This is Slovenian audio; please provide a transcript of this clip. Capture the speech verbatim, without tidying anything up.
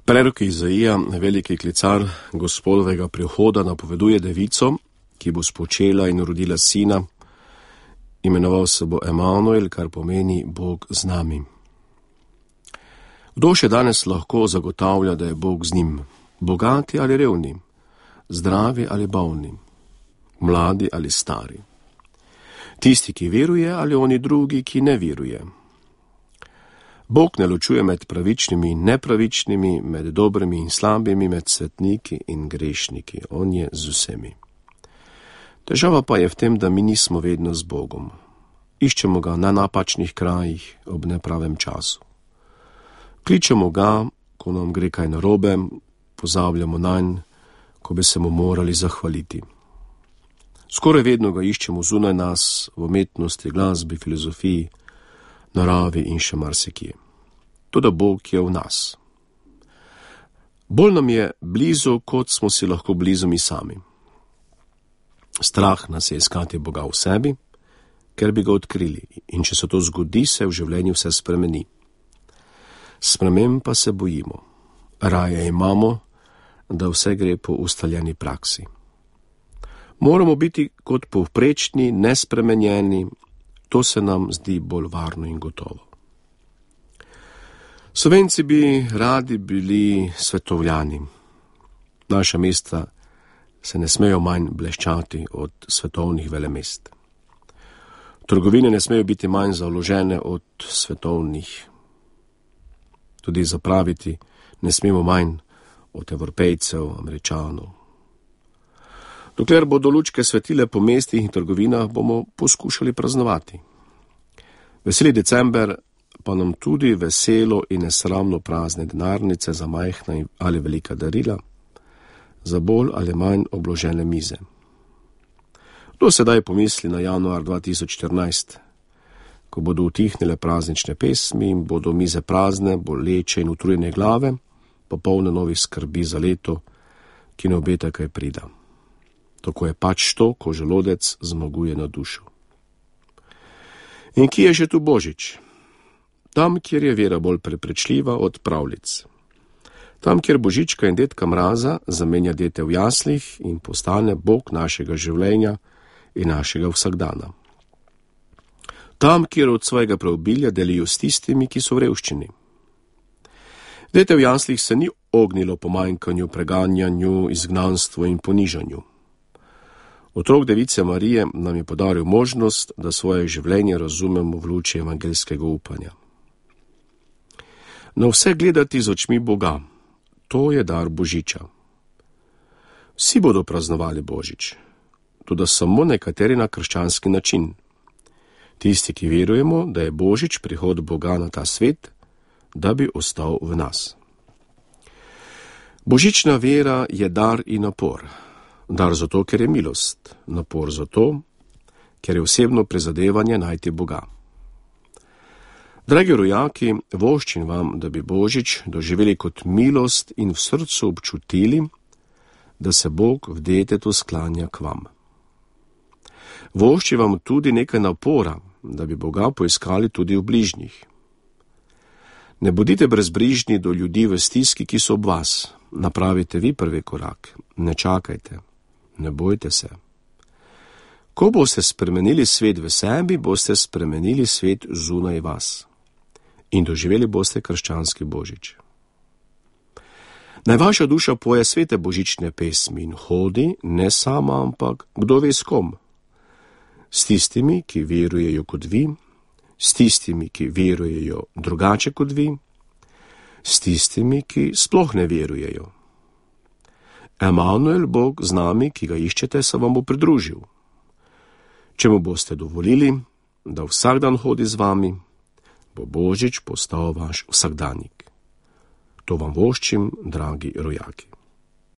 Prerok Izaija, veliki klicar Gospodovega prihoda, napoveduje devico, ki bo spočela in rodila sina. Imenoval se bo Emanuel, kar pomeni Bog z nami. Kdo še danes lahko zagotavlja, da je Bog z njim? Bogati ali revni, zdravi ali bolni, mladi ali stari. Tisti, ki veruje, ali oni drugi, ki ne veruje. Bog ne ločuje med pravičnimi in nepravičnimi, med dobrimi in slabimi, med svetniki in grešniki. On je z vsemi. Težava pa je v tem, da mi nismo vedno z Bogom. Iščemo ga na napačnih krajih ob nepravem času. Kličemo ga, ko nam gre kaj narobe, pozabljamo nanj, ko bi se mu morali zahvaliti. Skoraj vedno ga iščemo zunaj nas, v umetnosti, glasbi, filozofiji, naravi in še marsikje. Toda Bog je v nas. Bolj nam je blizu, kot smo si lahko blizu mi sami. Strah nas je iskati Boga v sebi, ker bi ga odkrili, in če se to zgodi, se v življenju vse spremeni. Sprememb pa se bojimo. Raje imamo, da vse gre po ustaljeni praksi. Moramo biti kot povprečni, nespremenjeni, to se nam zdi bolj varno in gotovo. Slovenci bi radi bili svetovljani. Naša mesta se ne smejo manj bleščati od svetovnih velemest. Trgovine ne smejo biti manj založene od svetovnih. Tudi zapraviti ne smemo manj od Evropejcev, Američanov. Dokler bodo lučke svetile po mestih in trgovinah, bomo poskušali praznovati. Veseli december pa nam tudi veselo in nesramno prazne denarnice za majhna ali velika darila, za bolj ali manj obložene mize. Kdo sedaj pomisli na januar dva tisoč štirinajst, ko bodo utihnile praznične pesmi in bodo mize prazne, boleče in utrujene glave, pa polne novih skrbi za leto, ki ne obeta kaj prida. Tako je pač to, ko želodec zmaguje na dušo. In kje je že tu Božič? Tam, kjer je vera bolj preprečljiva od pravljic. Tam, kjer Božička in dedka Mraza zamenja dete v jaslih in postane Bog našega življenja in našega vsakdana. Tam, kjer od svojega preobilja delijo s tistimi, ki so v revščini. Dete v jaslih se ni ognilo pomanjkanju, preganjanju, izgnanstvu in ponižanju. Otrok device Marije nam je podaril možnost, da svoje življenje razumemo v luči evangeljskega upanja. Na vse gledati z očmi Boga, to je dar Božiča. Vsi bodo praznovali Božič, tudi samo nekateri na krščanski način. Tisti, ki verujemo, da je Božič prihod Boga na ta svet, da bi ostal v nas. Božična vera je dar in napor. Dar zato, ker je milost, napor zato, ker je osebno prizadevanje najti Boga. Dragi rojaki, voščim vam, da bi Božič doživeli kot milost in v srcu občutili, da se Bog v detetu sklanja k vam. Voščim vam tudi nekaj napora, da bi Boga poiskali tudi v bližnjih. Ne bodite brezbrižni do ljudi v stiski, ki so ob vas. Napravite vi prvi korak, ne čakajte. Ne bojte se. Ko boste spremenili svet v sebi, boste spremenili svet zunaj vas. In doživeli boste krščanski Božič. Naj vaša duša poje svete božične pesmi in hodi, ne sama, ampak kdo ve s kom. S tistimi, ki verujejo kot vi, s tistimi, ki verujejo drugače kot vi, s tistimi, ki sploh ne verujejo. Emanuel, Bog z nami, ki ga iščete, se vam bo pridružil. Če mu boste dovolili, da vsak dan hodi z vami, bo Božič postal vaš vsakdanjik. To vam voščim, dragi rojaki.